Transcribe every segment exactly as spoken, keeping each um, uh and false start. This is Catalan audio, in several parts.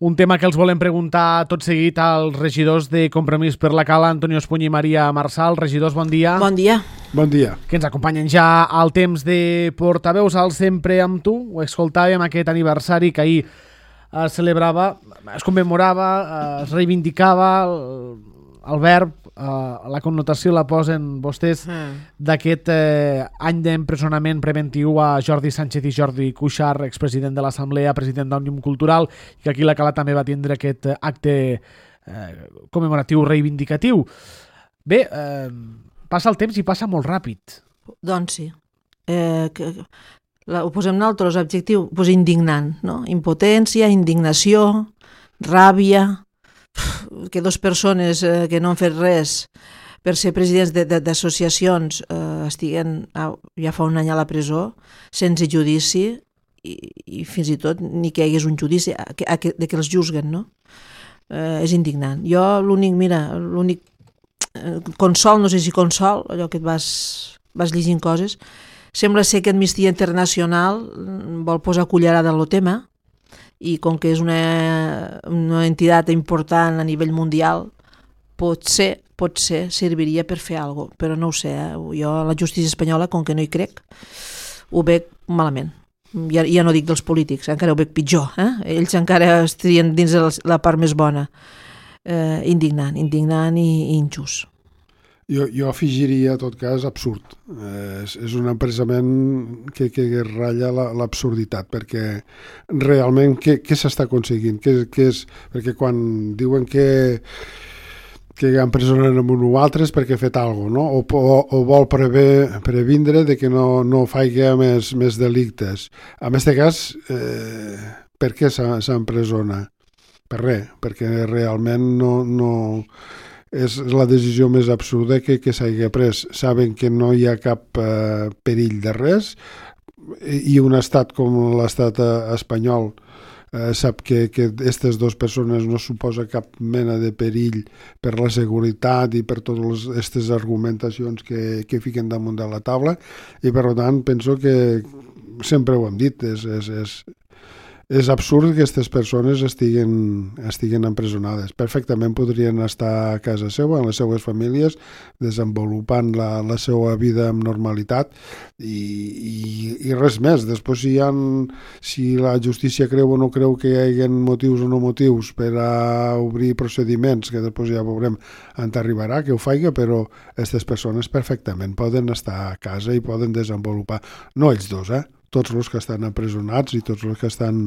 Un tema que els volem preguntar tot seguit als regidors de Compromís per la Cala, Antonio Espuny i Maria Marçal. Regidors, bon dia. Bon dia. Bon dia. Que ens acompanyen ja al temps de portaveus al Sempre amb tu. Ho escoltàvem, aquest aniversari que ahir es celebrava, es commemorava, es reivindicava el, el verb, Uh, la connotació la posen vostès mm. d'aquest eh, any d'empresonament preventiu a Jordi Sánchez i Jordi Cuixart, expresident de l'Assemblea, president d'Òmnium Cultural, i que aquí la Cala també va tindre aquest acte eh, commemoratiu reivindicatiu. Bé, eh, passa el temps i passa molt ràpid. Doncs sí. Eh, que, la, ho posem nosaltres, objectiu, pues indignant, no? Impotència, indignació, ràbia, que dues persones eh, que no han fet res per ser presidents d'associacions eh, estiguen ah, ja fa un any a la presó sense judici i, i fins i tot ni que hi hagués un judici a, a, a, de que els juzguen, no? Eh, és indignant. Jo l'únic, mira, l'únic eh, consol, no sé si consol, allò que et vas, vas llegint coses, sembla ser que Amnistia Internacional vol posar cullerada en el tema, i com que és una, una entitat important a nivell mundial, potser, potser serviria per fer alguna cosa, però no ho sé. Eh? Jo a la justícia espanyola, com que no hi crec, ho veig malament. Ja, ja no dic dels polítics, encara ho veig pitjor. Eh? Ells encara estarien dins de la part més bona. Eh, indignant, indignant i, i injust. Jo, jo afegiria, en tot cas, absurd. Eh, és, és un empresament que, que ratlla l'absurditat, perquè realment què, què s'està aconseguint? Què, què és? Perquè quan diuen que, que empresonen amb un o altre és perquè ha fet alguna cosa, no? O, o, o vol prever, previndre de que no, no faci més, més delictes. En aquest cas, eh, per què s'empresona? Per res, perquè realment no... no és la decisió més absurda que, que s'hagi pres. Saben que no hi ha cap eh, perill de res i un estat com l'estat espanyol eh, sap que aquestes dues persones no suposa cap mena de perill per la seguretat i per totes aquestes argumentacions que, que fiquen damunt de la taula i per tant penso que sempre ho hem dit, és... és, és És absurd que aquestes persones estiguen, estiguen empresonades. Perfectament podrien estar a casa seva, en les seues famílies, desenvolupant la, la seva vida amb normalitat i, i, i res més. Després, si, ha, si la justícia creu o no creu que hi hagi motius o no motius per a obrir procediments, que després ja veurem on arribarà, que ho faci, però aquestes persones perfectament poden estar a casa i poden desenvolupar, no ells dos, eh? Tots els que estan empresonats i tots els que estan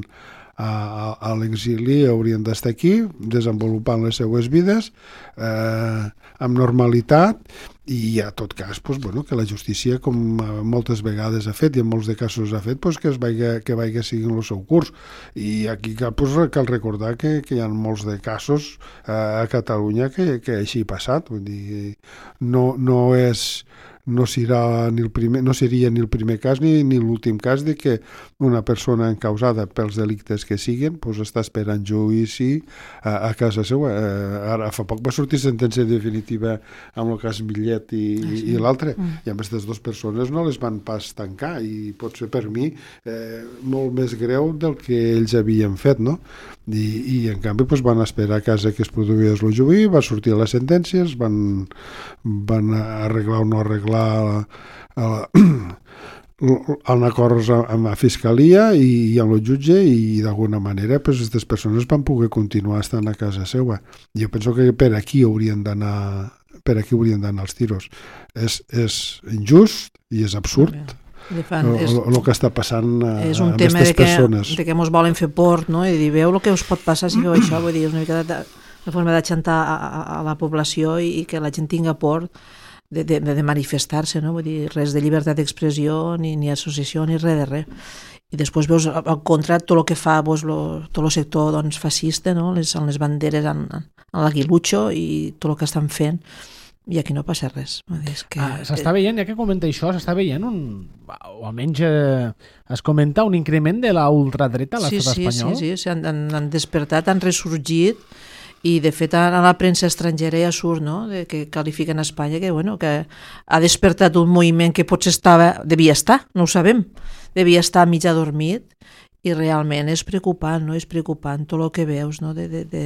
a, a, a l'exili haurien d'estar aquí desenvolupant les seues vides eh, amb normalitat i a tot cas pues, bueno, que la justícia com moltes vegades ha fet i en molts de casos ha fet pues, que es vagi, que vagi seguint el seu curs i aquí cal, pues, cal recordar que, que hi ha molts de casos eh, a Catalunya que, que així ha passat, vull dir, no, no és no, serà ni el primer, no seria ni el primer cas ni, ni l'últim cas de que una persona encausada pels delictes que siguin pues, està esperant judici a, a casa seva. Eh, ara fa poc va sortir sentència definitiva amb el cas Millet i, ah, sí. i, i l'altre, mm. i amb aquestes dues persones no les van pas tancar i pot ser per mi eh, molt més greu del que ells havien fet, no? I, i en canvi pues, van esperar a casa que es produís el juí, va sortir les sentències, van, van arreglar o no arreglar a, a, en acords amb la fiscalia i, i amb el jutge i d'alguna manera pues, aquestes persones van poder continuar estant a casa seva. Jo penso que per aquí haurien d'anar per aquí haurien d'anar els tiros. És, és injust i és absurd fan, és, el, el que està passant a, és un a tema aquestes de que, persones. de que ens volen fer por, no? I dir, veu el que us pot passar si feu això, vull dir, és una mica de, de forma d'exantar a, a, a la població i, i que la gent tinga por de, de, de manifestar-se, no? Vull dir, res de llibertat d'expressió, ni, ni associació, ni res de res. I després veus al contra tot el que fa pues, lo, tot el sector doncs, fascista, no? les, en les banderes, en, en l'aguilutxo i tot el que estan fent. I aquí no passa res. És que... ah, s'està veient, ja que comenta això, s'està veient un, o almenys eh, es comenta un increment de la ultradreta a l'estat sí, sí, espanyol. Sí, sí, sí, han, han despertat, han ressorgit i de fet a la premsa estrangera ja surt, no?, de, que qualifiquen Espanya que, bueno, que ha despertat un moviment que potser estava, devia estar, no ho sabem, devia estar mig adormit i realment és preocupant, no? És preocupant tot el que veus, no? de, de, de,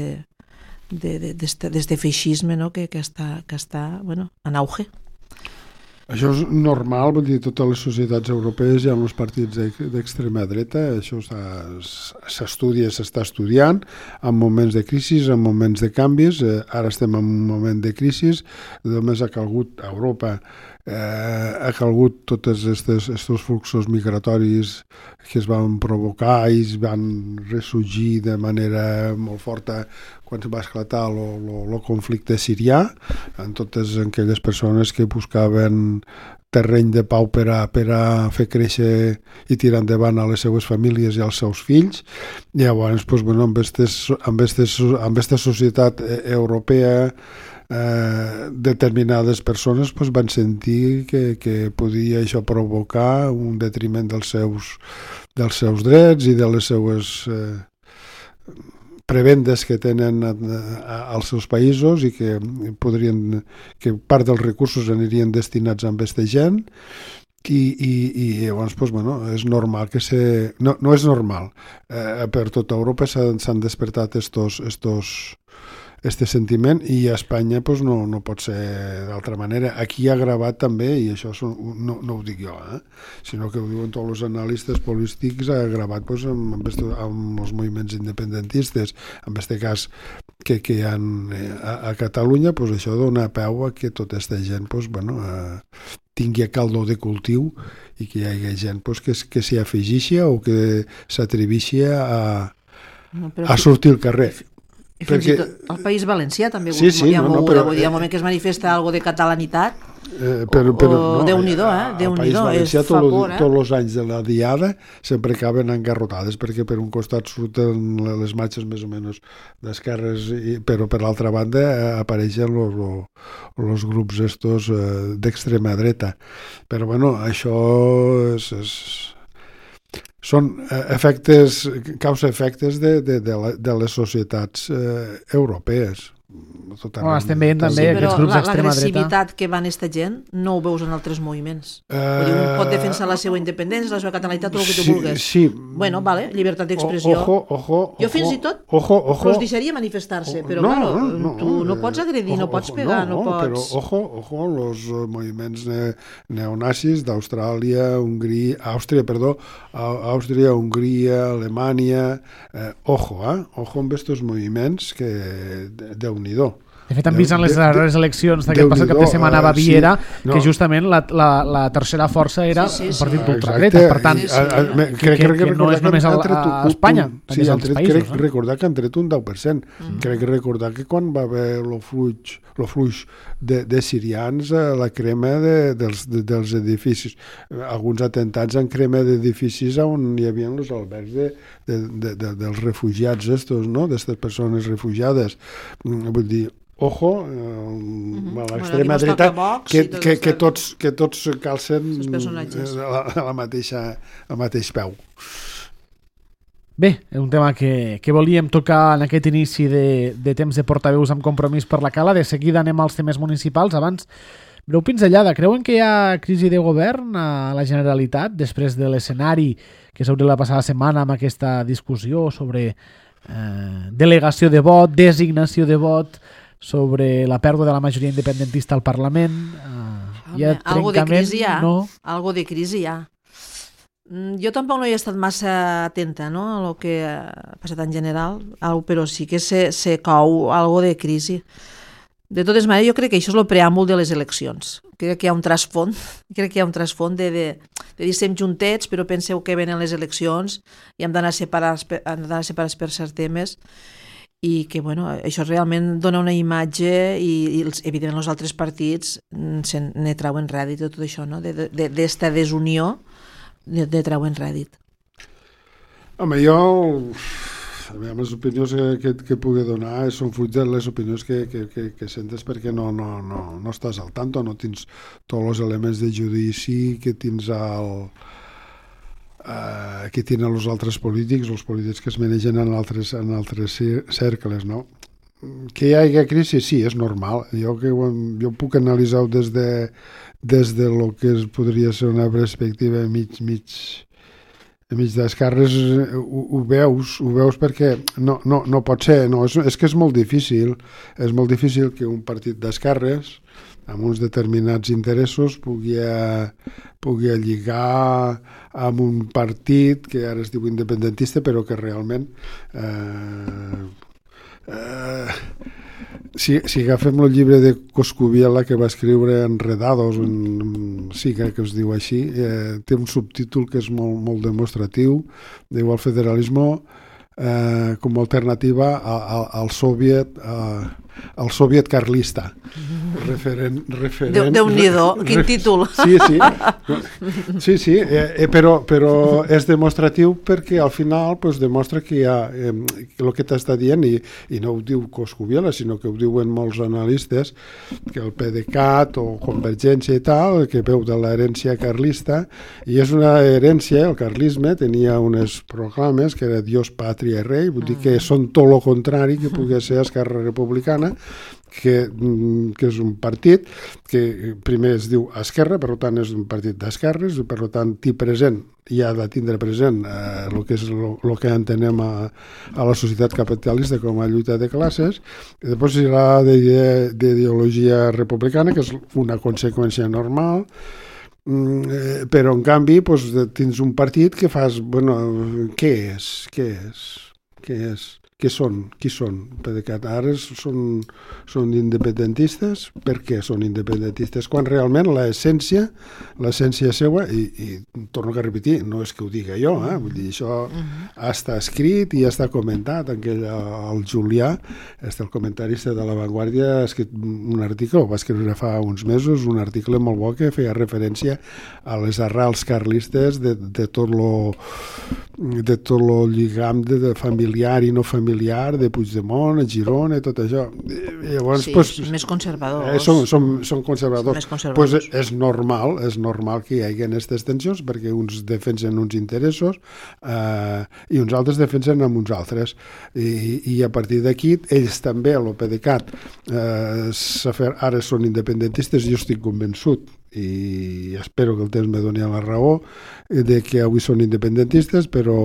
de, de, d'este feixisme, no? que, que està, que està bueno, en auge. Això és normal, vull dir, totes les societats europees hi ha uns partits d'extrema dreta, això s'estudia, s'està estudiant, en moments de crisi, en moments de canvis, eh, ara estem en un moment de crisi, només ha calgut a Europa, eh, ha calgut tots aquests fluxos migratoris que es van provocar i es van ressorgir de manera molt forta quan va esclatar el conflicte sirià, en totes aquelles persones que buscaven terreny de pau per a, per a fer créixer i tirar endavant a les seues famílies i als seus fills. I llavors, doncs, bueno, amb aquesta societat europea, eh, determinades persones doncs, van sentir que, que podia això provocar un detriment dels seus, dels seus drets i de les seues eh, prebendes que tenen a, a, als seus països i que podrien, que part dels recursos anirien destinats a aquesta gent i, i, i llavors doncs, bueno, és normal que se... No, no és normal. Eh, per tota Europa s'han despertat estos, estos este sentiment i a Espanya pues, no, no pot ser d'altra manera. Aquí ha gravat també, i això no, no ho dic jo, eh? sinó que ho diuen tots els analistes polítics, ha gravat pues, amb, amb, amb els moviments independentistes, en aquest cas que, que hi ha a, a Catalunya, pues, això dona peu a que tota aquesta gent pues, bueno, eh, tingui caldo de cultiu i que hi hagi gent pues, que, que s'hi afegixi o que s'atrevixi a, a sortir al carrer. I fins perquè... i tot el País Valencià també sí, sí, hi ha no, mogut, no, però, vull dir, al moment que es manifesta algo de catalanitat, eh, però, però, o no, Déu-n'hi-do, eh? Déu-n'hi-do, és fa por, eh? Tots els anys de la diada sempre acaben engarrotades, perquè per un costat surten les marxes més o menys d'esquerres, però per l'altra banda eh, apareixen els grups estos eh, d'extrema dreta. Però bueno, això és... és són efectes, causa-efectes de, de, de, la, de les societats eh, europees. Oh, estem veient també sí, aquests grups d'extrema dreta. L'agressivitat que van esta gent no ho veus en altres moviments. Uh, un pot defensar la seva independència, la seva catalanitat, tot el que tu sí, vulguis. Sí. Bueno, vale, llibertat d'expressió. Ojo, ojo, jo fins i tot ojo, ojo. els deixaria manifestar-se, però no, claro, no, tu no pots agredir, ojo, no pots pegar, no, no, no pots... Però ojo, ojo, els moviments ne neonazis d'Austràlia, Hongria, Àustria, perdó, Àustria, Hongria, Alemanya, eh, ojo, eh? Ojo amb aquests moviments que Déu-n'hi-do. De fet, han vist en les darreres eleccions d'aquest passat cap de setmana a Baviera sí, no. que justament la, la, la tercera força era sí, sí, un partit sí. d'ultradreta. Per tant, sí, sí. A, a, crec, que, crec que, que no és només a, a Espanya, un, sí, als països. Crec no? recordar que han tret un deu per cent. Mm. Crec que recordar que quan va haver el fluix, el fluix de, de sirians, la crema de, dels, de, dels edificis, alguns atentats en crema d'edificis on hi havia els albergs de, de, de, de, dels refugiats estos, no? D'aquestes persones refugiades. Vull dir, ojo, eh, mm-hmm. a l'extrema bueno, dreta, que, que, que, tots, que tots calcen a la, la mateixa, al mateix peu. Bé, és un tema que, que volíem tocar en aquest inici de, de temps de portaveus amb compromís per la Cala. De seguida anem als temes municipals. Abans, breu pinzellada. Creuen que hi ha crisi de govern a la Generalitat després de l'escenari que s'hauria la passada setmana amb aquesta discussió sobre eh, delegació de vot, designació de vot, sobre la pèrdua de la majoria independentista al Parlament? Uh, hi ha trencament? Algo de crisi hi ha. No? Algo de crisi hi ha. Jo tampoc no hi he estat massa atenta, no?, a lo que ha passat en general, però sí que se, se cau algo de crisi. De totes maneres, jo crec que això és el preàmbul de les eleccions. Crec que hi ha un trasfond, crec que hi ha un trasfond de, de, de dir estem juntets, però penseu que venen les eleccions i hem d'anar separats, hem d'anar separats per certs temes, i que bueno, això realment dona una imatge i, i els, evidentment els altres partits se ne trauen rèdit de tot això, no? de, de, d'esta desunió de, de trauen rèdit. Home, jo les opinions que, que, que pugui donar són fruit de les opinions que, que, que, que sentes perquè no, no, no, no estàs al tanto, no tens tots els elements de judici que tens al... Uh, que tenen els altres polítics, els polítics que es manegen en altres, en altres cercles, no? Que hi hagi crisi, sí, és normal. Jo, que ho, jo puc analitzar des de, des de lo que podria ser una perspectiva mig, mig enmig d'esquerres ho, ho veus, ho veus perquè no, no, no pot ser, no, és, és que és molt difícil, és molt difícil que un partit d'esquerres amb uns determinats interessos pugui, pugui lligar amb un partit que ara es diu independentista però que realment eh, eh, si, si agafem el llibre de Coscubiela que va escriure Enredados, en, sí que, que es diu així, eh, té un subtítol que és molt, molt demostratiu, diu el federalisme eh, com a alternativa al, al soviet eh, el soviet carlista referent, referent Déu-n'hi-do, quin títol. sí, sí, sí, sí eh, però, però és demostratiu perquè al final pues, demostra que hi ha eh, el que t'està dient i, i no ho diu Coscubiela sinó que ho diuen molts analistes que el PDeCAT o Convergència i tal, que veu de l'herència carlista i és una herència, el carlisme tenia unes proclames que era Dios, Pàtria i Rei, vull dir que són tot el contrari que pugui ser Esquerra Republicana que, que és un partit que primer es diu Esquerra, per tant és un partit d'esquerres, per tant té present i ha de tindre present eh, el que és el que entenem a, a la societat capitalista com a lluita de classes, i després hi ha d'ideologia republicana, que és una conseqüència normal, mm, però en canvi doncs, tens un partit que fas, bueno, què és? Què és? Què és? Què són? Qui són? Perquè ara són, són independentistes. Per què són independentistes? Quan realment l'essència, l'essència seva, i, i torno a repetir, no és que ho diga jo, eh? Vull dir, això està escrit i està comentat. Aquell, el Julià, el comentarista de La Vanguardia, ha escrit un article, va escriure fa uns mesos, un article molt bo que feia referència a les arrels carlistes de, de tot lo de tot el lligam de, de familiar i no familiar de Puigdemont, a Girona i tot això. I llavors, sí, pues, més conservadors. Eh, són, són, són conservadors. Més conservadors. Pues és normal, és normal que hi hagi aquestes tensions perquè uns defensen uns interessos eh, i uns altres defensen amb uns altres. I, i a partir d'aquí, ells també, el PDeCAT, eh, ara són independentistes, jo estic convençut i espero que el temps me doni la raó de que avui són independentistes però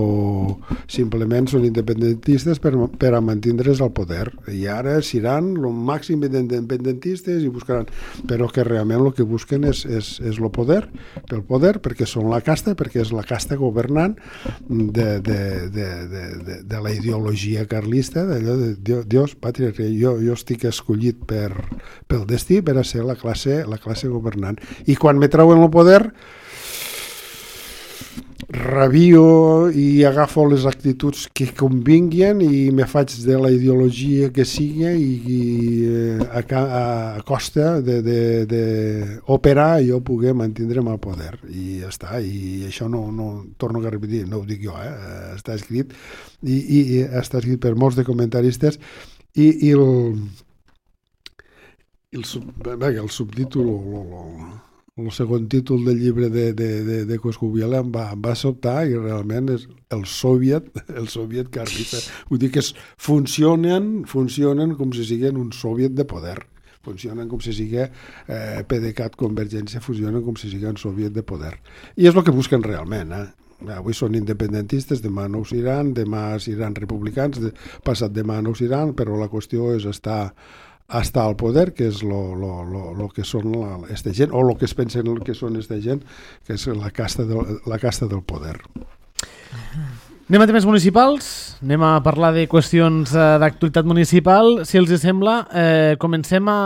simplement són independentistes per, per a mantindre's al poder i ara seran el màxim d'independentistes i buscaran, però que realment el que busquen és, és, és el poder pel poder, perquè són la casta, perquè és la casta governant de, de, de, de, de, de la ideologia carlista, d'allò de Dios, Pàtria, jo, jo estic escollit per, pel destí per a ser la classe, la classe governant. I quan me treuen el poder rabio i agafo les actituds que convinguin i me faig de la ideologia que sigui i, i a, a, a costa d'operar i jo poder mantindre'm al poder i ja està, i això no, no torno a repetir, no ho dic jo, eh? Està escrit i, i, i està escrit per molts de comentaristes i, i el el, sub, el subtítol o el segon títol del llibre de, de, de, de Coscubiela em va, em va sobtar i realment és el soviet, el soviet carlista. Vull dir que es, funcionen, funcionen com si siguin un soviet de poder. Funcionen com si sigui eh, PDeCAT, Convergència, funcionen com si sigui un soviet de poder. I és el que busquen realment, eh? Avui són independentistes, demà no ho seran, demà seran republicans, de, passat demà no ho seran, però la qüestió és estar estar al poder, que és lo, lo, lo, lo que són la, esta gent, o el que es pensen que són esta gent, que és la casta del, la casta del poder. Anem a temes municipals, anem a parlar de qüestions eh, d'actualitat municipal. Si els sembla, eh, comencem a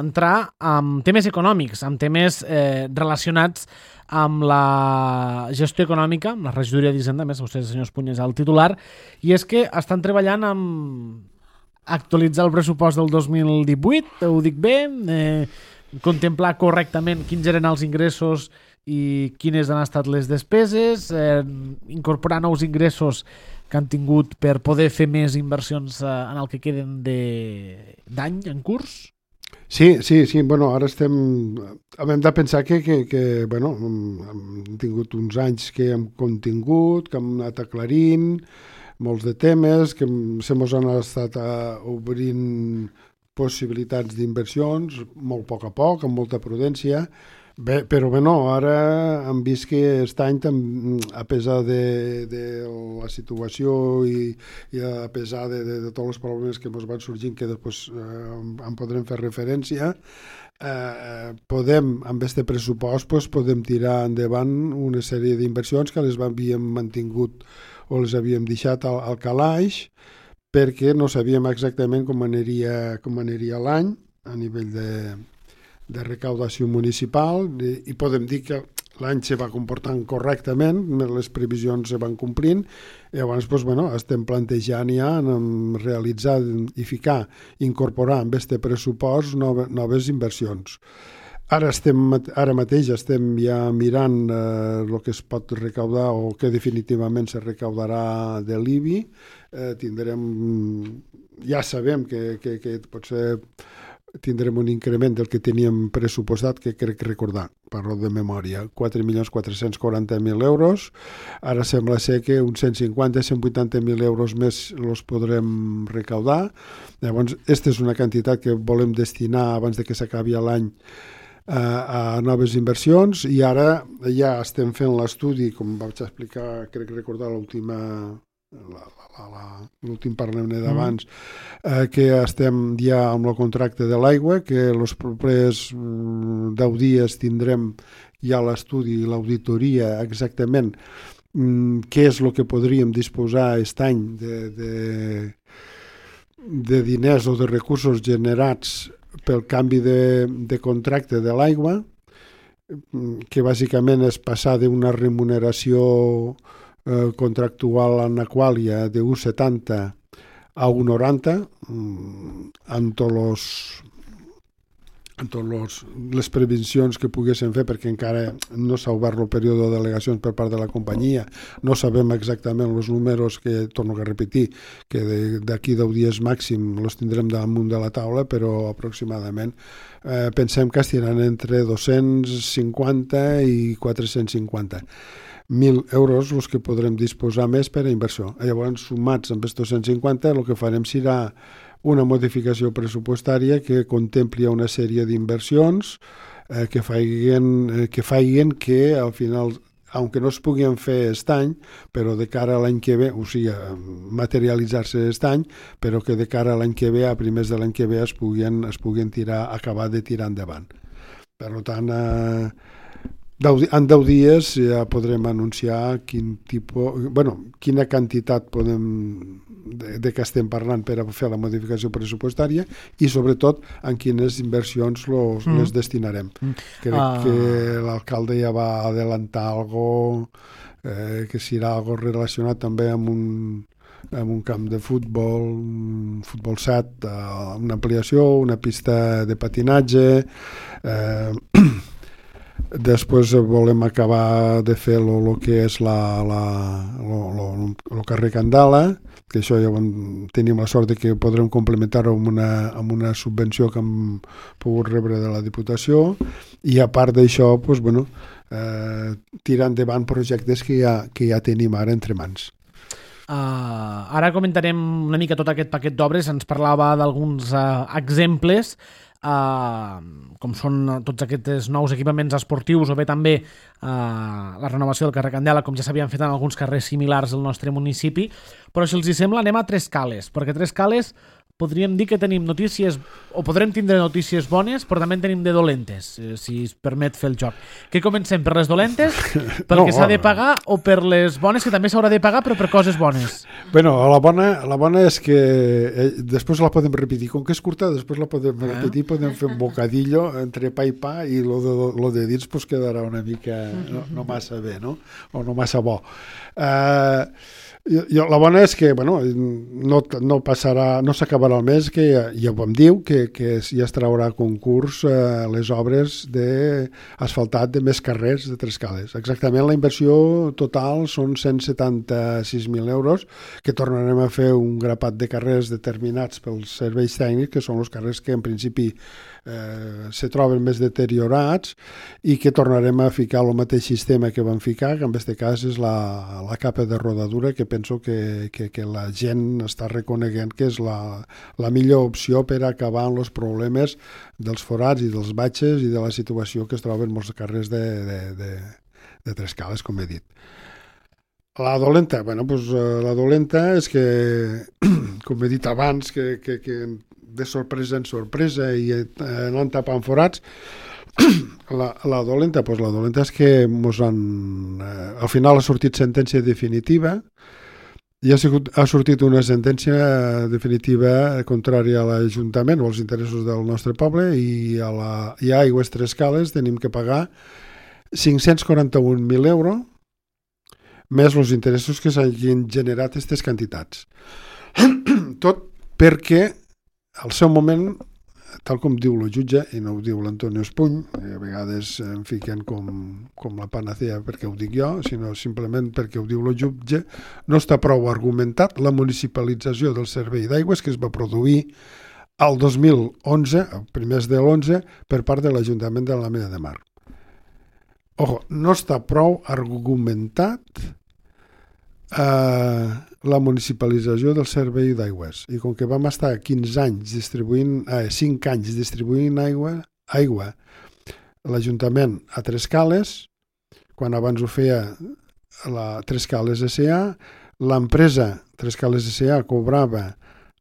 entrar amb temes econòmics, amb temes eh, relacionats amb la gestió econòmica, amb la regidoria d'Hisenda, més vostè, senyor Espunya, és el titular, i és que estan treballant amb actualitzar el pressupost del dos mil divuit, ho dic bé, eh, contemplar correctament quins eren els ingressos i quines han estat les despeses, eh, incorporar nous ingressos que han tingut per poder fer més inversions eh, en el que queden d'any en curs? Sí, sí, sí, bueno, ara estem... Hem de pensar que, que, que bueno, hem tingut uns anys que hem contingut, que hem anat aclarint, molts de temes, que se mos han estat uh, obrint possibilitats d'inversions, molt a poc a poc, amb molta prudència. Bé, però bueno, ara hem vist que aquest any, a pesar de, de la situació i, i a pesar de, de, de tots els problemes que ens van sorgint, que després eh, en podrem fer referència, eh, podem, amb aquest pressupost, pues, podem tirar endavant una sèrie d'inversions que les havíem mantingut o les havíem deixat al, al calaix, perquè no sabíem exactament com aniria, com aniria l'any a nivell de de recaudació municipal, i podem dir que l'any se va comportant correctament, les previsions se van complint, i llavors doncs, bueno, estem plantejant ja en realitzar i ficar, incorporar en aquest pressupost nove, noves inversions. Ara, estem, ara mateix estem ja mirant eh, el que es pot recaudar o que definitivament se recaudarà de l'I B I. Eh, tindrem, ja sabem que, que, que potser tindrem un increment del que teníem pressupostat, que crec recordar, parlo de memòria, quatre milions quatre-cents quaranta mil euros. Ara sembla ser que uns cent cinquanta a cent vuitanta mil euros més els podrem recaudar. Llavors, aquesta és una quantitat que volem destinar abans de que s'acabi l'any a, a noves inversions, i ara ja estem fent l'estudi, com vaig explicar, crec recordar l'última... l'últim parlem d'abans, eh, que estem ja amb el contracte de l'aigua, que els propers deu dies tindrem ja l'estudi i l'auditoria exactament mm, què és el que podríem disposar aquest any de, de, de diners o de recursos generats pel canvi de, de contracte de l'aigua, que bàsicament és passar d'una remuneració contractual en Aquàlia de un coma setanta a un coma noranta amb tots amb totes les previsions que poguessin fer, perquè encara no s'ha obert el període de delegacions per part de la companyia, no sabem exactament els números, que torno a repetir que d'aquí deu dies màxim els tindrem damunt de la taula, però aproximadament eh, pensem que estiran entre dos-cents cinquanta i quatre-cents cinquanta mil euros els que podrem disposar més per a inversió. Llavors, sumats amb els dos-cents cinquanta, el que farem serà una modificació pressupostària que contempli una sèrie d'inversions eh, que faiguen, eh, que faiguen que al final, aunque no es puguin fer aquest any, però de cara a l'any que ve, o sigui, materialitzar-se aquest any, però que de cara a l'any que ve, a primers de l'any que ve, es puguin, es puguin tirar, acabar de tirar endavant. Per tant, eh, en deu dies ja podrem anunciar quin tipus, bueno, quina quantitat podem, de, de què estem parlant per a fer la modificació pressupostària, i sobretot en quines inversions los, mm. les destinarem. Mm. Crec ah. que l'alcalde ja va adelantar algo eh, que serà algo relacionat també amb un amb un camp de futbol, un futbol set, una ampliació, una pista de patinatge. Eh, Després volem acabar de fer el que és la, la, lo, lo, lo carrer Candala, que això ja tenim la sort de que podrem complementar-ho amb una, amb una subvenció que hem pogut rebre de la Diputació, i a part d'això, doncs, bueno, eh, tirar endavant projectes que ja, que ja tenim ara entre mans. Uh, ara comentarem una mica tot aquest paquet d'obres. Ens parlava d'alguns uh, exemples, Uh, com són tots aquests nous equipaments esportius, o bé també uh, la renovació del carrer Candela, com ja s'havien fet en alguns carrers similars del nostre municipi. Però si els hi sembla, anem a Tres Cales, perquè Tres Cales podríem dir que tenim notícies, o podrem tindre notícies bones, però també en tenim de dolentes, si es permet fer el joc. Què comencem, per les dolentes, pel no, que s'ha de pagar, o per les bones, que també s'haurà de pagar, però per coses bones? Bueno, la bona, la bona és que eh, després la podem repetir, com que és curta, després la podem eh? repetir, podem fer un bocadillo entre pa i pa, i lo de, lo de dins pues, quedarà una mica no, no massa bé, no? O no massa bo. Eh... Jo, la bona és que bueno, no, no passarà, no s'acabarà el mes, que ja, ja ho vam dir, que, que ja es traurà a concurs eh, les obres d'asfaltat de més carrers de Tres Cales. Exactament, la inversió total són cent setanta-sis mil euros, que tornarem a fer un grapat de carrers determinats pels serveis tècnics, que són els carrers que en principi eh, se troben més deteriorats, i que tornarem a ficar el mateix sistema que vam ficar, que en aquest cas és la, la capa de rodadura, que penso que, que, que la gent està reconeguent que és la, la millor opció per acabar amb els problemes dels forats i dels batxes i de la situació que es troben molts carrers de, de, de, de Trescales, com he dit. La dolenta, bueno, pues, la dolenta és que, com he dit abans, que, que, que de sorpresa en sorpresa i anant tapant forats, la, la dolenta, pues, la dolenta és que mos han, eh, al final ha sortit sentència definitiva i ha, sigut, ha sortit una sentència definitiva contrària a l'Ajuntament o als interessos del nostre poble i a, la, i a Aigües Trescales tenim que pagar cinc-cents quaranta-un mil euros més els interessos que s'hagin generat aquestes quantitats. Tot perquè al seu moment, tal com diu el jutge, i no ho diu l'Antonio Espuny, a vegades em fiquen com, com la panacea perquè ho dic jo, sinó simplement perquè ho diu el jutge, no està prou argumentat la municipalització del servei d'aigües que es va produir al dos mil onze, a primers de l'onze, per part de l'Ajuntament de l'Ametlla de Mar. Ojo, no està prou argumentat Uh, la municipalització del servei d'aigües i com que vam estar quinze anys distribuint, eh, cinc anys distribuint aigua, aigua l'Ajuntament a Trescales, quan abans ho feia la Trescales S A, l'empresa Trescales S A cobrava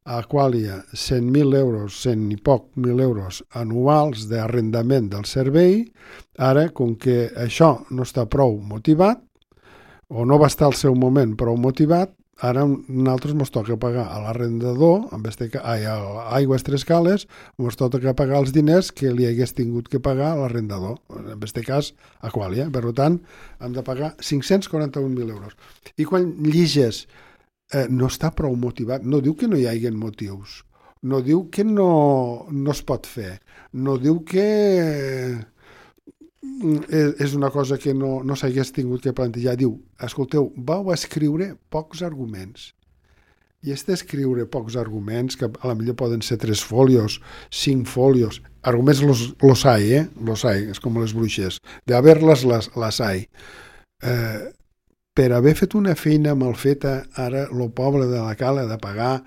a Aqualia cent mil euros, cent i poc mil euros anuals d'arrendament del servei. Ara, com que això no està prou motivat, o no va estar al seu moment prou motivat, ara nosaltres ens toca pagar a l'arrendador, en vez de ai, a Aigües Trescales, ens toca pagar els diners que li hagués tingut que pagar a l'arrendador, en aquest cas Aqualia. Per tant, hem de pagar cinc-cents quaranta-un mil euros. I quan lliges eh, no està prou motivat, no diu que no hi hagi motius, no diu que no, no es pot fer, no diu que és una cosa que no, no s'hagués tingut que plantejar. Diu, escolteu, vau escriure pocs arguments. I és d'escriure pocs arguments, que a la millor poden ser tres folios, cinc folios. Arguments los, los hay, eh? Los hay, és com les bruixes. De haver-les, les, les hay. Eh, per haver fet una feina mal feta, ara el poble de la Cala ha de pagar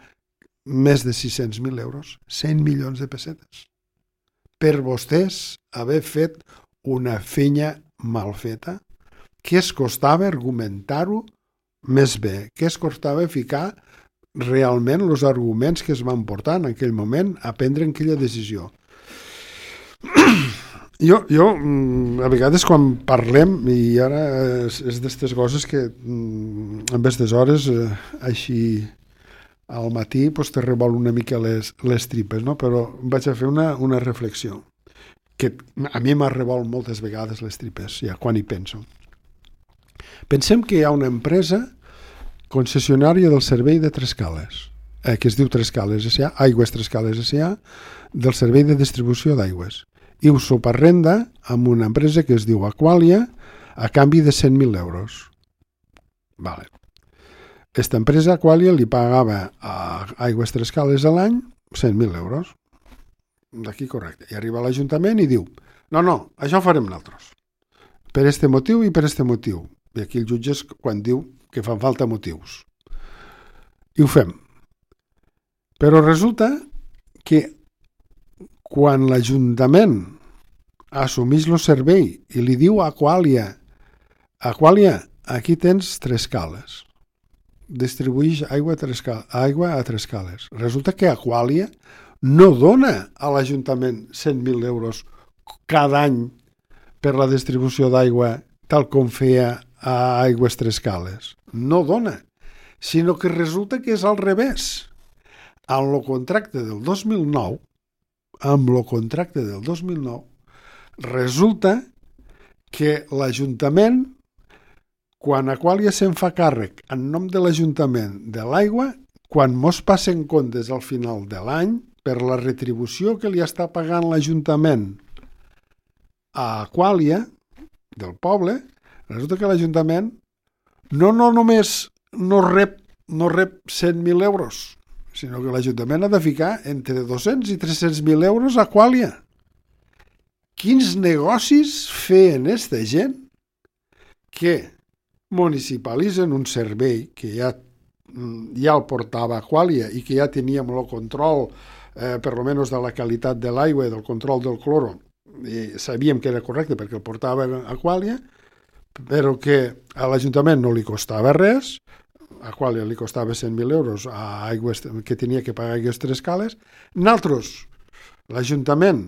més de sis-cents mil euros, cent milions de pessetes. Per vostès haver fet una feina mal feta, què es costava argumentar-ho més bé? Què es costava ficar realment els arguments que es van portar en aquell moment a prendre aquella decisió? Jo, jo a vegades quan parlem, i ara és, és d'aquestes coses que en aquestes hores, eh, així al matí, pues, te revol una mica les, les tripes, no? Però vaig a fer una, una reflexió que a mi m'ha revolt moltes vegades les tripes, ja quan hi penso. Pensem que hi ha una empresa concessionària del servei de Trescales, eh, que es diu Trescales S A, Aigües Trescales S A, del servei de distribució d'aigües, i ho subarrenda amb una empresa que es diu Aqualia a canvi de cent mil euros. Vale. Aquesta empresa Aqualia li pagava a Aigües Trescales a l'any cent mil euros. D'aquí correcte. I arriba a l'Ajuntament i diu, no, no, això ho farem nosaltres. Per este motiu i per este motiu. I aquí el jutge és quan diu que fan falta motius. I ho fem. Però resulta que quan l'Ajuntament assumeix el servei i li diu a Aqualia, Aqualia, aquí tens Trescales. Distribueix aigua a, Trescal, aigua a Trescales. Resulta que Aqualia no dona a l'Ajuntament cent mil euros cada any per la distribució d'aigua tal com feia a Aigües Trescales. No dona, sinó que resulta que és al revés. En el contracte del dos mil nou, amb el contracte del dos mil nou, resulta que l'Ajuntament, quan Aqualia se'n fa càrrec en nom de l'Ajuntament de l'aigua, quan mos passen comptes al final de l'any, per la retribució que li està pagant l'Ajuntament a Aqualia, del poble, resulta que l'Ajuntament no, no només no rep, no rep cent mil euros, sinó que l'Ajuntament ha de ficar entre dos-cents i tres-cents mil euros a Aqualia. Quins negocis feien aquesta gent que municipalitzen un servei que ja ja el portava Aqualia i que ja teníem el control, eh, per lo menos de la qualitat de l'aigua i del control del cloro, i sabíem que era correcte perquè el portava Aqualia, però que a l'Ajuntament no li costava res, a Aqualia li costava cent mil euros a aigües, que tenia que pagar Aigües Tres Cales. Nosaltres, l'Ajuntament,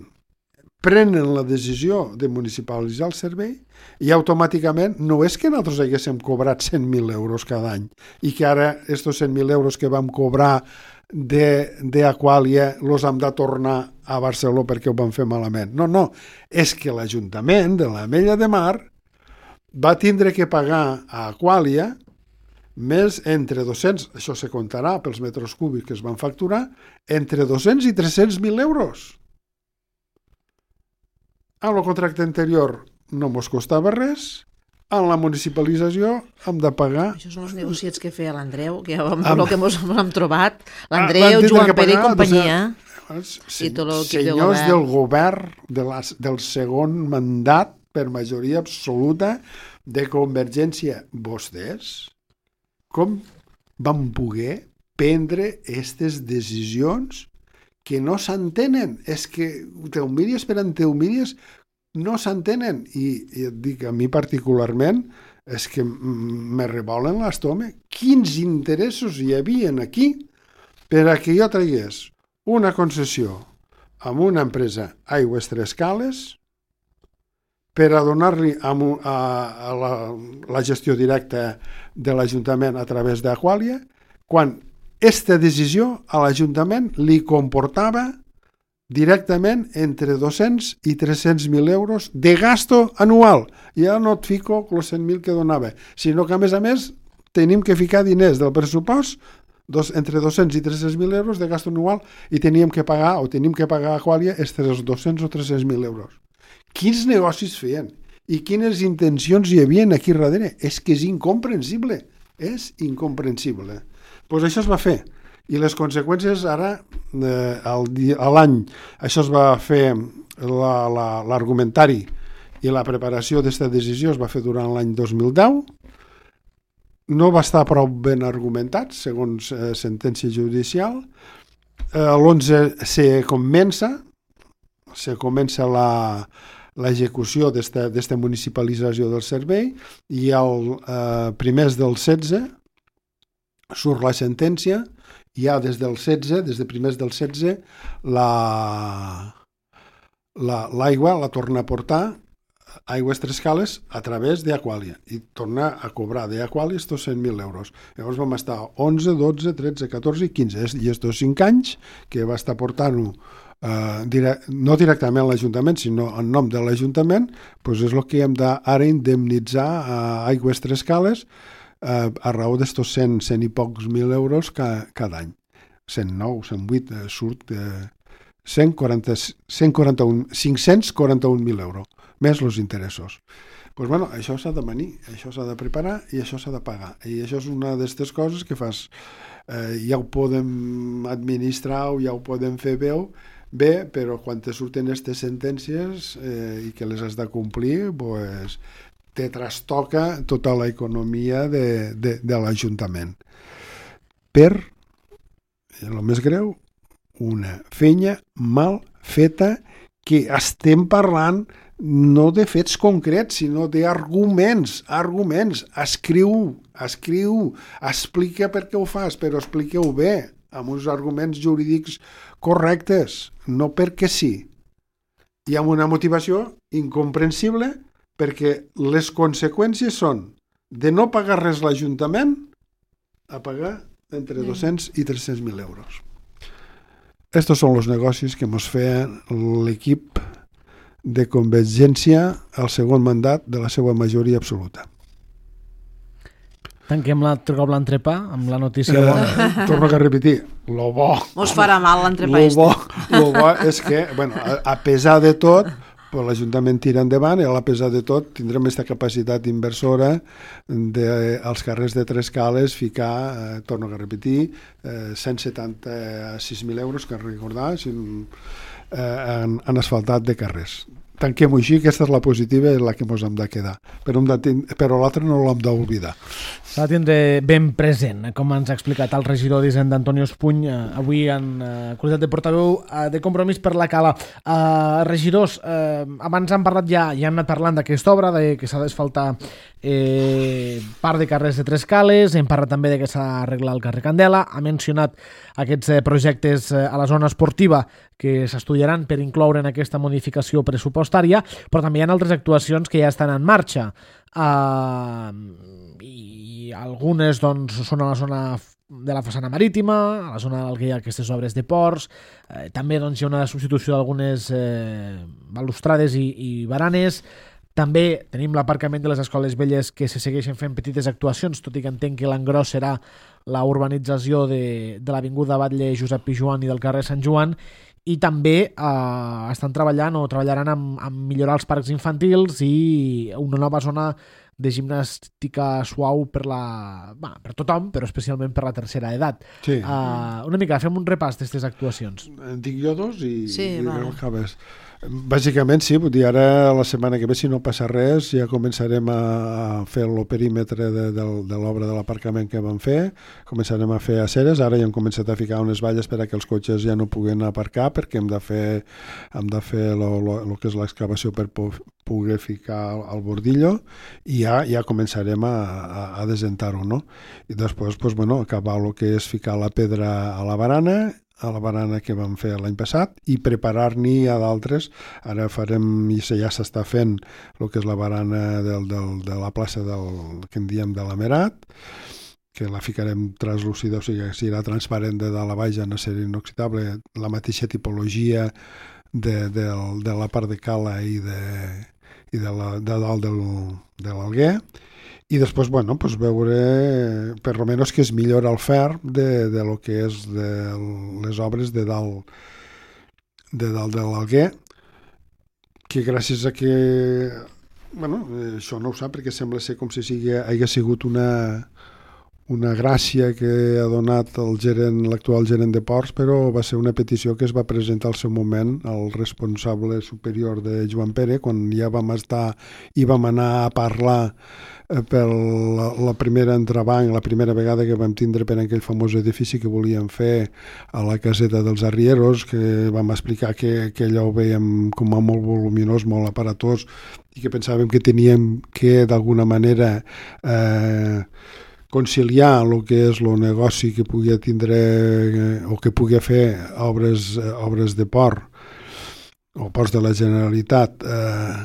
prenen la decisió de municipalitzar el servei i automàticament no és que nosaltres haguéssim cobrat cent mil euros cada any i que ara estos cent mil euros que vam cobrar d'Aqualia los hem de tornar a Barcelona perquè ho vam fer malament. No, no, és que l'Ajuntament de l'Ametlla de Mar va tindre que pagar a Aqualia més entre dos-cents, això se comptarà pels metres cúbics que es van facturar, entre dos-cents i tres-cents mil euros. En el contracte anterior no mos costava res, en la municipalització hem de pagar... Això són els negociats que feia l'Andreu, que ja vam, Amb... el que ens hem trobat, l'Andreu, Joan Pere i companyia, se... i tot l'equip de senyors govern. del govern de la, del segon mandat per majoria absoluta de Convergència, vostès, com van poder prendre aquestes decisions que no s'entenen? És que teomíries per anteomíries no s'entenen. I, i et dic, a mi particularment, és que me revolen l'estómac. Quins interessos hi havia aquí per a que jo tragués una concessió amb una empresa Aigües Tres Cales per a donar-li a, a, a la, la gestió directa de l'Ajuntament a través d'Aqualia, quan aquesta decisió a l'Ajuntament li comportava directament entre dos-cents i tres-cents mil euros de gasto anual. Ja no et fico els cent mil que donava, sinó que a més a més tenim que ficar diners del pressupost dos, entre dos-cents i tres-cents mil euros de gasto anual i teníem que pagar o tenim que pagar a Aqualia estos dos-cents o tres-cents mil euros. Quins negocis feien i quines intencions hi havia aquí darrere? És que és incomprensible, és incomprensible. Pues això es va fer i les conseqüències ara eh, a l'any això es va fer l'argumentari i la preparació d'aquesta decisió es va fer durant l'any dos mil deu, no va estar prou ben argumentat segons eh, sentència judicial. eh, l'onze se comença se comença la l'execució d'aquesta municipalització del servei i el eh, primers del setze surt la sentència i ja des del setze, des de primers del setze, la, la, l'aigua la torna a portar Aigües Tres Cales a través d'Aqualia i torna a cobrar d'Aqualia estos cent mil euros. Llavors vam estar onze, dotze, tretze, catorze i quinze i estos cinc anys que va estar portant-ho Uh, dire, no directament a l'Ajuntament sinó en nom de l'Ajuntament, doncs és el que hem d'ara indemnitzar a Aigües Tres Cales uh, a raó d'estos cent, cent i pocs mil euros ca, cada any. cent nou, cent vuit, uh, surt uh, cent quaranta, cent quaranta-un, cinc-cents quaranta-un mil euros, més els interessos. Pues bueno, això s'ha de venir, això s'ha de preparar i això s'ha de pagar. I això és una d'aquestes coses que fas, eh, ja ho podem administrar o ja ho podem fer veu, bé, però quan te surten aquestes sentències eh, i que les has de complir, pues, te trastoca tota l'economia de, de, de l'Ajuntament. Per, el més greu, una feina mal feta que estem parlant no de fets concrets, sinó d'arguments, arguments. Escriu, escriu, explica per què ho fas, però expliqueu bé, amb uns arguments jurídics correctes, no perquè sí. I amb una motivació incomprensible perquè les conseqüències són de no pagar res l'Ajuntament a pagar entre dos-cents i tres-cents mil euros. Estos són els negocis que ens feia l'equip de Convergència al segon mandat de la seva majoria absoluta. Tanquem l'altre cop l'entrepà amb la notícia Eh, bona. torno a repetir, lo bo, Mos farà mal l'entrepà. lo bo, lo bo és que, bueno, a, a pesar de tot, pues, l'Ajuntament tira endavant i a pesar de tot tindrem aquesta capacitat inversora de, als carrers de Tres Cales ficar, eh, torno a repetir, eh, cent setanta-sis mil euros, que recordar, sin, eh, en, en asfaltat de carrers. tanquem-ho així, aquesta és la positiva i la que ens hem de quedar. Però, de, però l'altra no l'hem d'oblidar. S'ha de tindre ben present, com ens ha explicat el regidor d'Hisenda, Antonio Espuny, eh, avui en eh, qualitat de portaveu eh, de Compromís per la Cala. Eh, regidors, eh, abans han parlat ja, ja hem anat parlant d'aquesta obra, de que s'ha d'asfaltar eh, part de carrers de Tres Cales, hem parlat també de que s'ha d'arreglar el carrer Candela, ha mencionat aquests eh, projectes eh, a la zona esportiva que s'estudiaran per incloure en aquesta modificació pressupostària, però també hi ha altres actuacions que ja estan en marxa. Uh, i algunes doncs, són a la zona de la façana marítima, a la zona en què hi ha aquestes obres de ports, eh, també doncs, hi ha una substitució d'algunes eh, balustrades i, i baranes. També tenim l'aparcament de les escoles velles que se segueixen fent petites actuacions, tot i que entenc que l'engròs serà la urbanització de, de l'avinguda Batlle Josep Pijuan i del carrer Sant Joan, i també eh, estan treballant o treballaran amb, amb millorar els parcs infantils i una nova zona de gimnàstica suau per, la, bah, per tothom, però especialment per la tercera edat. Sí. Uh, una mica, fem un repàs d'aquestes actuacions. En dic jo dos i, sí, i vale. acabes. Bàsicament sí, vull dir, ara la setmana que ve, si no passa res, ja començarem a fer el perímetre de, de, de l'obra de l'aparcament que vam fer, començarem a fer aceres, ara ja hem començat a ficar unes valles per a que els cotxes ja no puguen aparcar, perquè hem de fer, hem de fer lo, lo, lo que és l'excavació per poder ficar el bordillo, i ja, ja començarem a, a, a desentar-ho, no? I després, pues, bueno, acabar el que és ficar la pedra a la barana, a la barana que vam fer l'any passat, i preparar-n'hi a d'altres. Ara farem, i ja s'està fent, el que és la barana del, del, de la plaça del, que en diem de l'Amerat, que la ficarem translúcida, o sigui, serà transparent de dalt a baix en acer inoxidable, la mateixa tipologia de, de, de la part de cala i de, i de, la, de dalt del, de l'Alguer. I després, bueno, pues veure per almenys que es millora el ferm de, de lo que és de les obres de dalt de dalt de l'Alguer, que gràcies a que bueno, això no ho sap perquè sembla ser com si sigui, hagués sigut una una gràcia que ha donat el gerent, l'actual gerent de ports, però va ser una petició que es va presentar al seu moment al responsable superior de Joan Pere, quan ja vam estar i vam anar a parlar per la, la primera entrebanc, la primera vegada que vam tindre per aquell famós edifici que volíem fer a la caseta dels Arrieros, que vam explicar que, que allò ho veiem com a molt voluminós, molt aparatós, i que pensàvem que teníem que d'alguna manera eh, conciliar el que és el negoci que pugui tindre eh, o que pugui fer obres, eh, obres de port o ports de la Generalitat eh,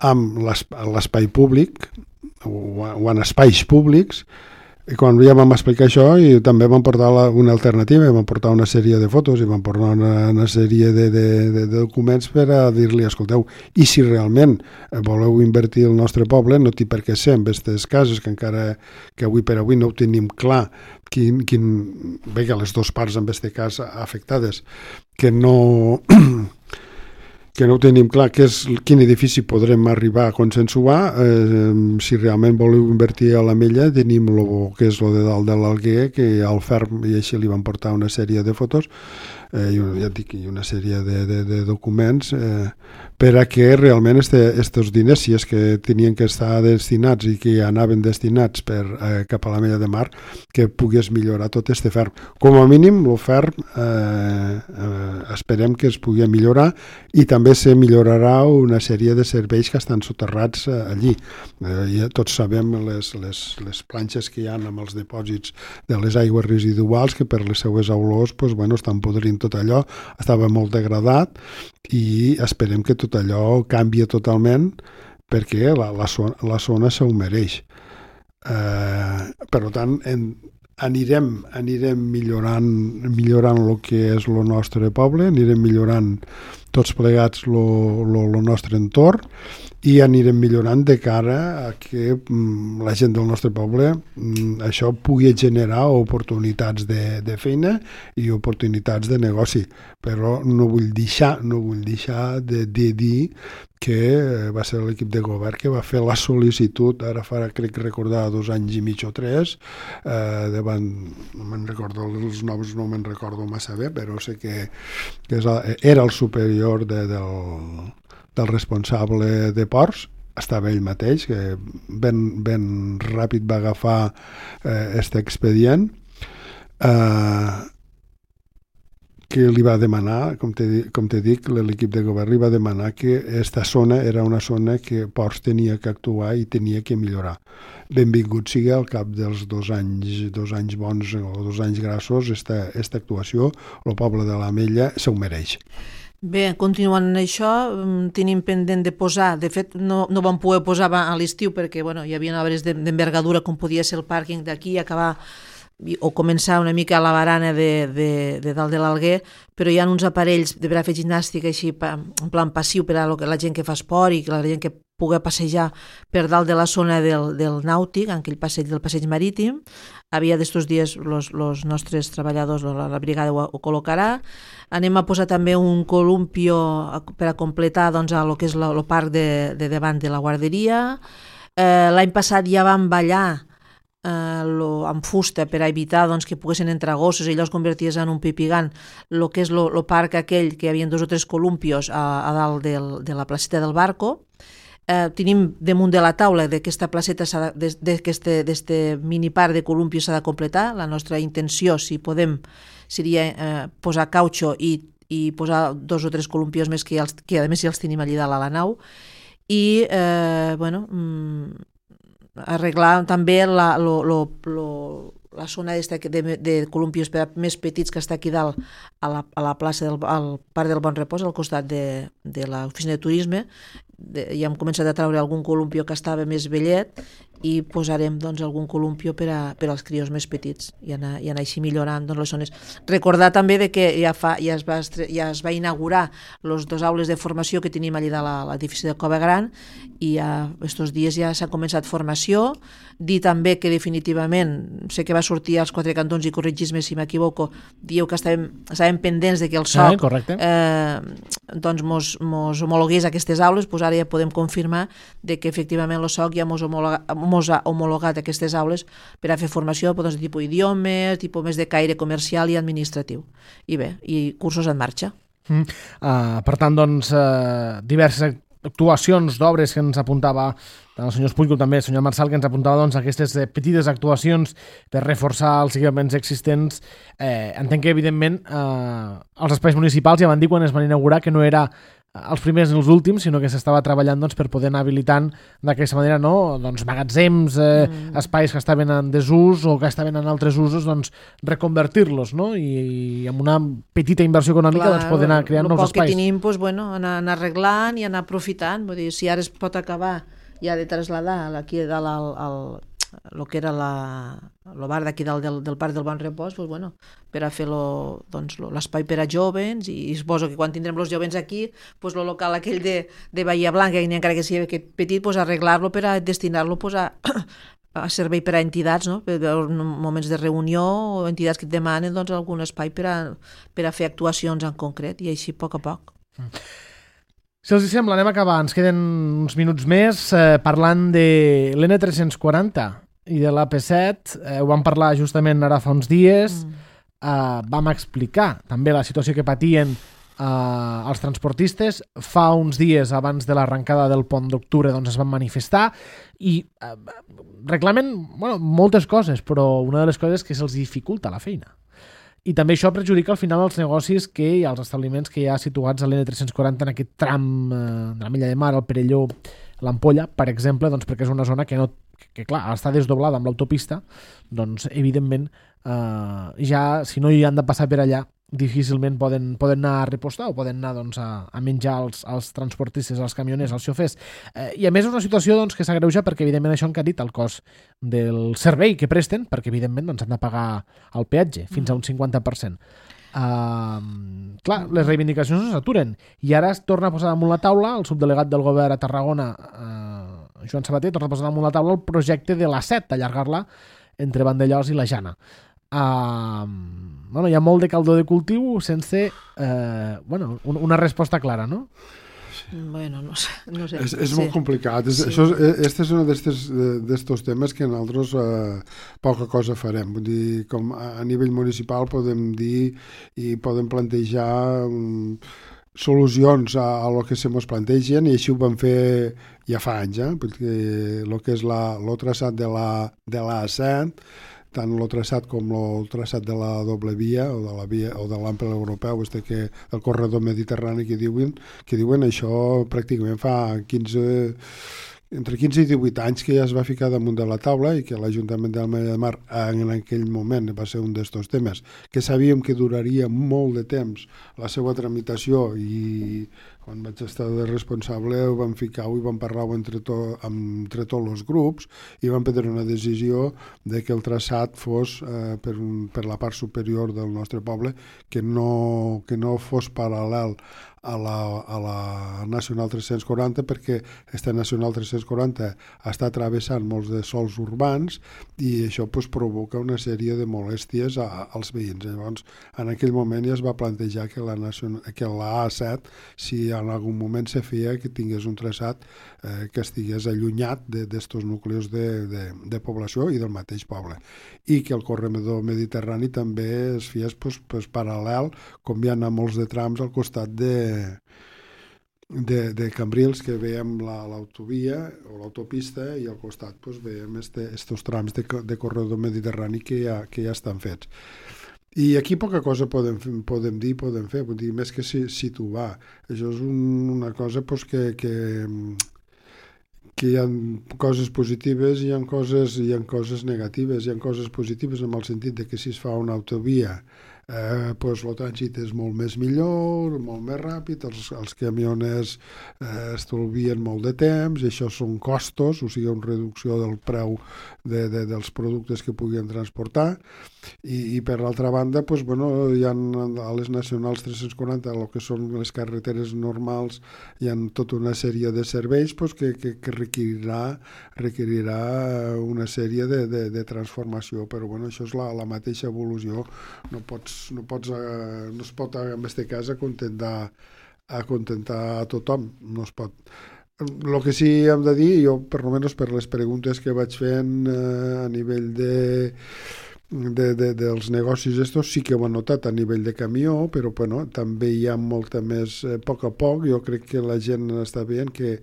amb l'espai públic o, o en espais públics. I quan ja vam explicar això, i també vam portar la, una alternativa, vam portar una sèrie de fotos i vam portar una, una sèrie de, de, de, de documents per a dir-li, escolteu, i si realment voleu invertir el nostre poble, no té per què ser en aquestes cases, que encara que avui per avui no ho tenim clar, quin, quin, bé que les dues parts en aquest cas afectades, que no... que no ho tenim clar que és quin edifici podrem arribar a consensuar. Eh, si realment voleu invertir a l'Ametlla, tenim el que és el de dalt de l'Alguer, que al ferm, i així li van portar una sèrie de fotos eh, i, ja et dic, i una sèrie de, de, de documents eh, per a que realment aquests este, diners, si és que tenien que estar destinats i que anaven destinats per, eh, cap a l'Ametlla de Mar, que pogués millorar tot este ferm. Com a mínim, el ferm eh, eh, esperem que es pugui millorar, i també se millorarà una sèrie de serveis que estan soterrats eh, allí. Eh, ja tots sabem les, les, les planxes que hi ha amb els dipòsits de les aigües residuals, que per les seues olors pues, bueno, estan podrint tot allò, estava molt degradat, i esperem que tot allò canvia totalment, perquè la, la, zona, la zona se ho mereix. Eh, per tant, en, anirem, anirem millorant, millorant el que és el nostre poble, anirem millorant tots plegats el nostre entorn, i anirem millorant de cara a que mm, la gent del nostre poble mm, això pugui generar oportunitats de, de feina i oportunitats de negoci. Però no vull deixar, no vull deixar de, de dir que va ser l'equip de govern que va fer la sol·licitud, ara farà, crec recordar, dos anys i mig o tres, eh, davant, no me'n recordo, els noms no me'n recordo massa bé, però sé que, que és, era el superior de, del, del responsable de ports, estava ell mateix, que ben, ben ràpid va agafar eh, este expedient, eh, que li va demanar, com te, com te dic, l'equip de govern li va demanar que aquesta zona era una zona que Ports tenia que actuar i tenia que millorar. Benvingut sigui al cap dels dos anys, dos anys bons o dos anys grassos, esta, esta actuació, el poble de l'Ametlla se ho mereix. Bé, continuant en això, tenim pendent de posar, de fet no, no vam poder posar a l'estiu perquè bueno, hi havia obres d'envergadura com podia ser el pàrquing d'aquí, acabar o començar una mica a la barana de, de, de dalt de l'Alguer, però hi ha uns aparells de per a fer gimnàstica així, en plan passiu per a la gent que fa esport i la gent que pugui passejar per dalt de la zona del, del nàutic, en aquell passeig del passeig marítim. Havia d'estos dies els nostres treballadors, la, la brigada ho, ho col·locarà. Anem a posar també un columpio per a completar doncs, el que és el parc de, de davant de la guarderia. Eh, l'any passat ja vam ballar Uh, lo, amb fusta per a evitar doncs, que poguessin entrar gossos i allò es converties en un pipigant, el que és el parc aquell que hi havia dos o tres columpios a, a dalt del, de la placeta del barco. Uh, tenim damunt de la taula d'aquesta placeta, d'aquest mini parc de columpios s'ha de completar. La nostra intenció, si podem, seria uh, posar cautxo i, i posar dos o tres columpios més que, ja els, que a més ja els tenim allà dalt a la nau i uh, bueno mm, arreglar també la, lo, lo, lo, la zona de, de columpios més petits que està aquí dalt a la, a la plaça del al Parc del Bon Repòs, al costat de, de l'oficina de turisme. De, ja hem començat a treure algun columpio que estava més vellet i posarem doncs, algun columpio per, a, per als crios més petits i anar, i anar així millorant doncs, les zones. Recordar també de que ja, fa, ja, es va, ja es va inaugurar les dues aules de formació que tenim allà a l'edifici de Cova Gran i ja, estos dies ja s'ha començat formació. Dir també que definitivament, sé que va sortir als Quatre Cantons i corregis-me si m'equivoco, dieu que estàvem, estàvem pendents de que el S O C eh, eh, doncs mos, mos homologués aquestes aules, doncs ara ja podem confirmar de que efectivament el S O C ja mos, homologa, mos ha homologat aquestes aules per a fer formació doncs, de tipus idiomes, tipus més de caire comercial i administratiu. I bé, i cursos en marxa. Mm. Uh, per tant, doncs, uh, diverses actuacions d'obres que ens apuntava tant el senyor Espull com també el senyor Marçal, que ens apuntava doncs, aquestes petites actuacions per reforçar els equipaments existents. Eh, entenc que, evidentment, eh, els espais municipals ja van dir quan es van inaugurar que no era els primers ni els últims, sinó que s'estava treballant doncs, per poder anar habilitant d'aquesta manera no? doncs, magatzems, eh, mm. espais que estaven en desús o que estaven en altres usos, doncs, reconvertir-los no? I, i amb una petita inversió econòmica Clar, doncs, poder anar creant nous espais. El poc que tenim, doncs, bueno, anar, anar arreglant i anar aprofitant. Vull dir, si ara es pot acabar ja de traslladar aquí dalt al, al, el que era la, el bar d'aquí dalt del, del Parc del Bon Repòs, doncs, bueno, per a fer lo, doncs, lo, l'espai per a jovens i, i suposo que quan tindrem els jovens aquí, doncs, el local aquell de, de Bahia Blanca, encara que sigui petit, doncs, arreglar-lo per a destinar-lo doncs, a, a servei per a entitats, no? Per a moments de reunió o entitats que et demanen doncs, algun espai per a, per a fer actuacions en concret i així a poc a poc. Mm. Si els sembla, anem a acabar. Ens queden uns minuts més eh, parlant de l'N tres-cents quaranta i de l'A P set. Eh, ho vam parlar justament ara fa uns dies. Mm. Eh, vam explicar també la situació que patien eh, els transportistes. Fa uns dies abans de l'arrencada del pont d'octubre doncs, es van manifestar i eh, reclamen bueno, moltes coses, però una de les coses és que se'ls dificulta la feina. I també això perjudica al final els negocis que hi ha, els establiments que hi ha situats a l'N tres-cents quaranta en aquest tram eh, de la Milla de Mar, el Perelló, l'Ampolla, per exemple, doncs perquè és una zona que, no, que clar, està desdoblada amb l'autopista, doncs evidentment eh, ja, si no hi han de passar per allà, difícilment poden, poden anar a repostar o poden anar doncs, a, a menjar els, els transportistes, els camioners, els xofers. Eh, I a més és una situació doncs, que s'agreuja perquè evidentment això ha encarit el cost del servei que presten, perquè evidentment doncs, han de pagar el peatge fins a un cinquanta per cent. Uh, clar, les reivindicacions no s'aturen i ara es torna a posar damunt la taula el subdelegat del govern a Tarragona, uh, Joan Sabater, torna a posar damunt la taula el projecte de l'A set, allargar-la entre Vandellòs i la Jana. Uh, bueno, hi ha molt de caldó de cultiu sense uh, bueno, un, una resposta clara, no? Bueno, no sé. No sé. És, és sí. molt complicat. És, sí. Això és, este és un d'estos temes que nosaltres eh, poca cosa farem. Vull dir, com a, a nivell municipal podem dir i podem plantejar um, solucions a, a lo que se mos plantegen, i així ho vam fer ja fa anys, eh? Perquè el que és la, el traçat de la, de la A set, tant el traçat com el traçat de la doble via o de la via o de l'ample europeu, este que el corredor mediterrani que diuen, que diuen això pràcticament fa quinze entre quinze i divuit anys que ja es va ficar damunt de la taula i que l'Ajuntament de l'Ametlla de Mar en aquell moment va ser un d'estos temes que sabíem que duraria molt de temps la seva tramitació, i quan vaig estar de responsable ho vam ficar i vam parlar entre, to, entre tots els grups i vam prendre una decisió de que el traçat fos eh, per, un, per la part superior del nostre poble, que no, que no fos paral·lel a la, a la Nacional tres-cents quaranta, perquè aquesta Nacional tres-cents quaranta està travessant molts de sols urbans i això pues, provoca una sèrie de molèsties a, als veïns. Llavors, en aquell moment ja es va plantejar que la, nacional, que la A set, si en algun moment se feia, que tingués un traçat eh, que estigués allunyat d'estos nuclis de, de, de població i del mateix poble. I que el corredor mediterrani també es fes pues, pues, paral·lel, com hi ha molts de trams al costat de De, de Cambrils, que veiem l'autovia la, o l'autopista, i al costat pues, veiem este, estos trams de, de corredor mediterrani que ja, que ja estan fets. I aquí poca cosa podem, podem dir, podem fer, vull dir, més que situar. Això és un, una cosa pues, que, que, que hi ha coses positives i hi ha coses, hi ha coses negatives. Hi ha coses positives en el sentit de que si es fa una autovia Eh, pues, el trànsit és molt més millor, molt més ràpid, els, els camioners eh, estalvien molt de temps, i això són costos, o sigui, una reducció del preu de, de, dels productes que puguin transportar, i, i per l'altra banda, pues, bueno, hi ha a les nacionals tres-cents quaranta, el que són les carreteres normals, hi ha tota una sèrie de serveis pues, que, que, que requerirà, requerirà una sèrie de, de, de transformació, però bueno, això és la, la mateixa evolució, no pots no, pots, eh, no es pot en aquest cas acontentar, acontentar a tothom, no es pot. El que sí hem de dir, jo per almenys per les preguntes que vaig fent eh, a nivell de, de, de, dels negocis estos, sí que ho han notat a nivell de camió, però bueno, també hi ha molta més, eh, a poc a poc, jo crec que la gent està veient que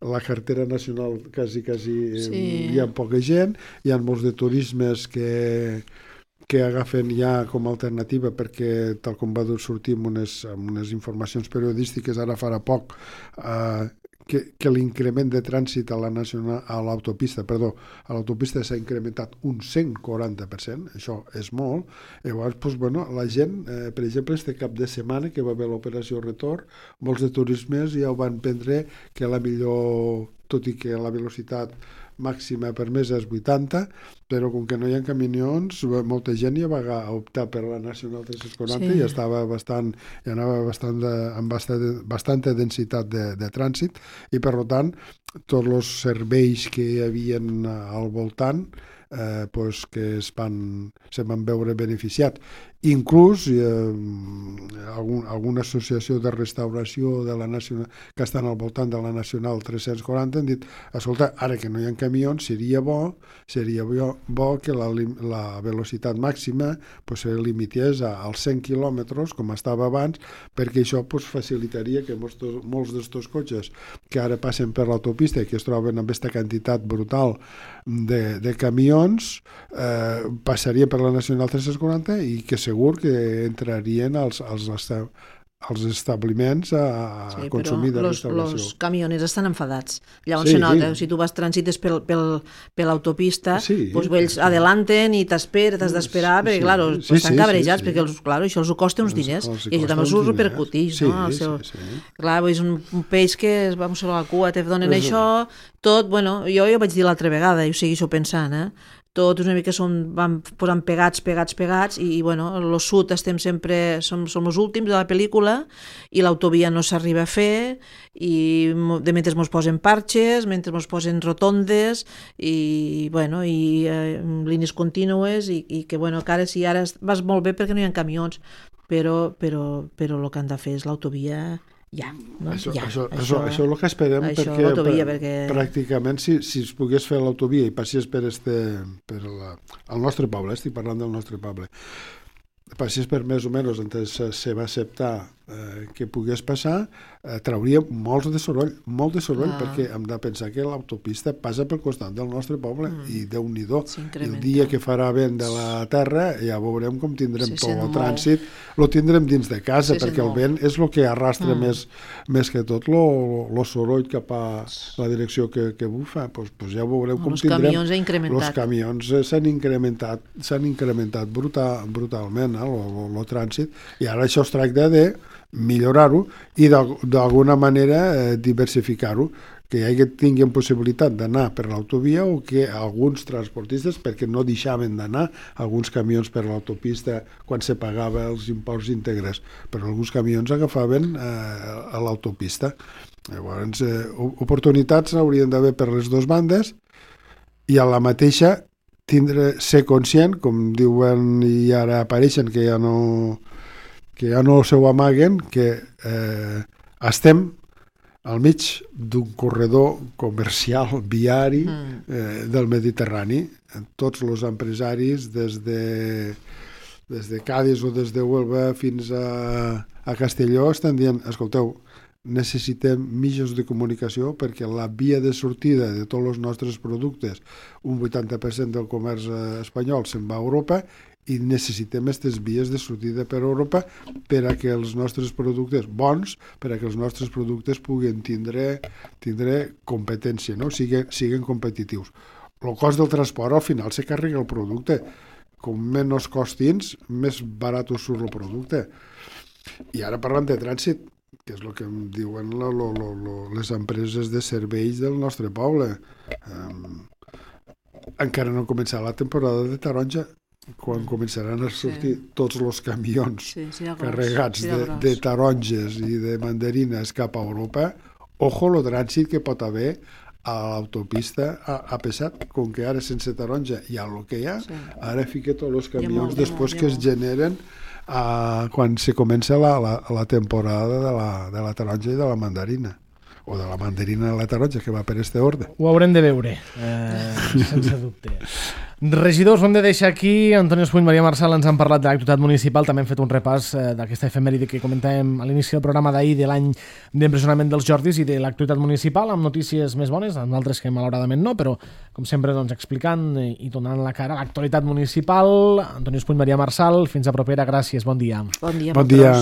la carretera nacional quasi, quasi eh, sí. Hi ha poca gent, hi ha molts de turismes que que agafen ja com a alternativa, perquè tal com va sortir amb unes, amb unes informacions periodístiques ara farà poc, eh, que, que l'increment de trànsit a la nacional, a l'autopista, perdó, a l'autopista s'ha incrementat un cent quaranta per cent, això és molt. Llavors, doncs, bueno, la gent, eh, per exemple, este cap de setmana que va haver l'operació Retorn, molts de turismes ja ho van prendre que la millor, tot i que la velocitat màxima permesa és vuitanta, però com que no hi ha camions, molta gent ja va optar per la Nacional tres-cents quaranta sí. I estava bastant, ja anava bastant de, amb bastant, bastanta densitat de, de trànsit, i per tant tots els serveis que hi havia al voltant eh, pues que es van, se van veure beneficiats. Inclús eh, algun, alguna associació de restauració de la nacional, que estan al voltant de la Nacional tres-cents quaranta han dit, escolta, ara que no hi ha camions, seria bo, seria bo, bo que la, la velocitat màxima pues, se limités a, als cent quilòmetres, com estava abans, perquè això pues, facilitaria que molts, molts d'estos cotxes que ara passen per l'autopista i que es troben amb aquesta quantitat brutal de, de camions eh, passarien per la Nacional tres-cents quaranta i que segur que entrarien als, als, als establiments a, a sí, consumir de los, restauració. Els camioners estan enfadats. Llavors sí, se nota, sí. Si tu vas transites pel, pel, per l'autopista, sí, pues, ells sí. adelanten i t'esperen, t'has d'esperar, sí, perquè, clar, sí, pues, estan sí, cabrejats, sí, sí. perquè els, clar, això els costa uns diners, els, els i això també els repercuteix. Sí, no? El seu... sí, sí. Clar, és un, un peix que es va a la cua, te donen és... això, tot, bueno, jo ja ho vaig dir l'altra vegada, i ho segueixo pensant, eh? Tots una mica són, van posant pegats, pegats, pegats, i, i bueno, el sud estem sempre, som, som els últims de la pel·lícula, i l'autovia no s'arriba a fer, i de mentre mos posen parxes, mentre mos posen rotondes, i, bueno, i eh, línies contínues, i, i que, bueno, que ara sí, ara vas molt bé perquè no hi ha camions, però, però, però el que han de fer és l'autovia... Ja, no? això, ja, això, això, això és el que esperem, això, perquè, per, perquè pràcticament si, si es pogués fer l'autovia i passés per, este, per la, el nostre poble, estic parlant del nostre poble, passés per més o menys on se, se va acceptar eh, que pogués passar, eh, trauria molts de soroll, molt de soroll, ah. perquè hem de pensar que l'autopista passa pel costat del nostre poble, mm. i Déu-n'hi-do. El dia que farà vent de la terra, ja veurem com tindrem tot el trànsit, lo tindrem dins de casa, sí, perquè el vent és el que arrastra mm. més, més que tot el soroll cap a la direcció que, que bufa. Pues, pues ja veureu com los tindrem... Camions Els camions s'han incrementat, s'han incrementat brutal, brutalment, eh, el trànsit, i ara això es tracta de millorar-ho i d'alguna manera eh, diversificar-ho, que hi hagi, tinguin possibilitat d'anar per l'autovia o que alguns transportistes, perquè no deixaven d'anar alguns camions per l'autopista quan se pagava els imports íntegres, però alguns camions agafaven eh, a l'autopista. Llavors, eh, oportunitats haurien d'haver per les dues bandes, i a la mateixa tindre, ser conscient, com diuen i ara apareixen, que ja no, que ja no s'ho amaguen, que eh, estem al mig d'un corredor comercial viari eh, del Mediterrani. Tots els empresaris, des de, des de Cádiz o des de Huelva fins a, a Castelló, estan dient, escolteu, necessitem mitjans de comunicació perquè la via de sortida de tots els nostres productes, un vuitanta per cent del comerç espanyol se'n va a Europa, i necessitem aquestes vies de sortida per Europa per a que els nostres productes bons, per a que els nostres productes puguin tindre, tindre competència, no? Siguen, siguen competitius. El cost del transport al final se carrega el producte. Com menys costins, més barat us surt el producte. I ara parlant de trànsit, que és el que em diuen lo, lo, lo, lo, les empreses de serveis del nostre poble. Um, encara no ha començat la temporada de taronja, quan començaran a sortir sí. tots els camions sí, sí, carregats sí, de, de taronges i de mandarines cap a Europa. Ojo el trànsit que pot haver a l'autopista a, a pesat, com que ara sense taronja hi ha el que hi ha, sí. ara fica tots els camions després que es generen Uh, quan se comença la, la, la temporada de la, de la taronja i de la mandarina, o de la mandarina i la taronja, que va per este ordre. Ho haurem de veure, eh, sense dubte. Regidors, ho hem de deixar aquí. Antoni Espuny, Maria Marçal ens han parlat de l'actualitat municipal, també hem fet un repàs eh, d'aquesta efemèride que comentàvem a l'inici del programa d'ahir, de l'any d'empresonament dels Jordis i de l'actualitat municipal, amb notícies més bones, amb altres que malauradament no, però com sempre doncs, explicant i donant la cara a l'actualitat municipal. Antoni Espuny, Maria Marçal, fins a propera, gràcies, bon dia. Bon dia. Bon dia.